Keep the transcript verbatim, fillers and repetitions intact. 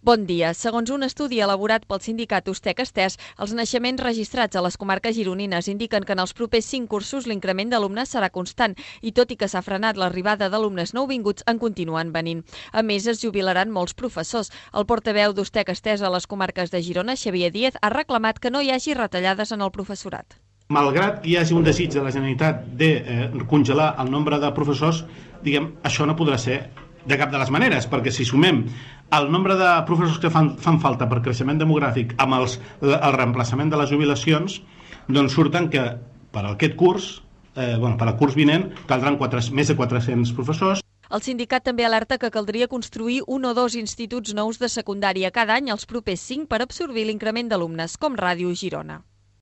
Bon dia. Segons un estudi elaborat pel sindicat Ustec Estès, els naixements registrats a les comarques gironines indiquen que en els propers cinc cursos l'increment d'alumnes serà constant i tot i que s'ha frenat l'arribada d'alumnes nouvinguts, en continuen venint. A més, es jubilaran molts professors. El portaveu d'Ustec Estès a les comarques de Girona, Xavier Díez, ha reclamat que no hi hagi retallades en el professorat. Malgrat que hi hagi un desig de la Generalitat de eh, congelar el nombre de professors, diguem, això no podrà ser de cap de les maneres, perquè si sumem el nombre de professors que fan, fan falta per creixement demogràfic amb els, el reemplaçament de les jubilacions, doncs surten que per aquest curs, eh, bueno, per al curs vinent, caldran quatre, més de quatre-cents professors. El sindicat també alerta que caldria construir un o dos instituts nous de secundària cada any els propers cinc per absorbir l'increment d'alumnes, com Ràdio Girona.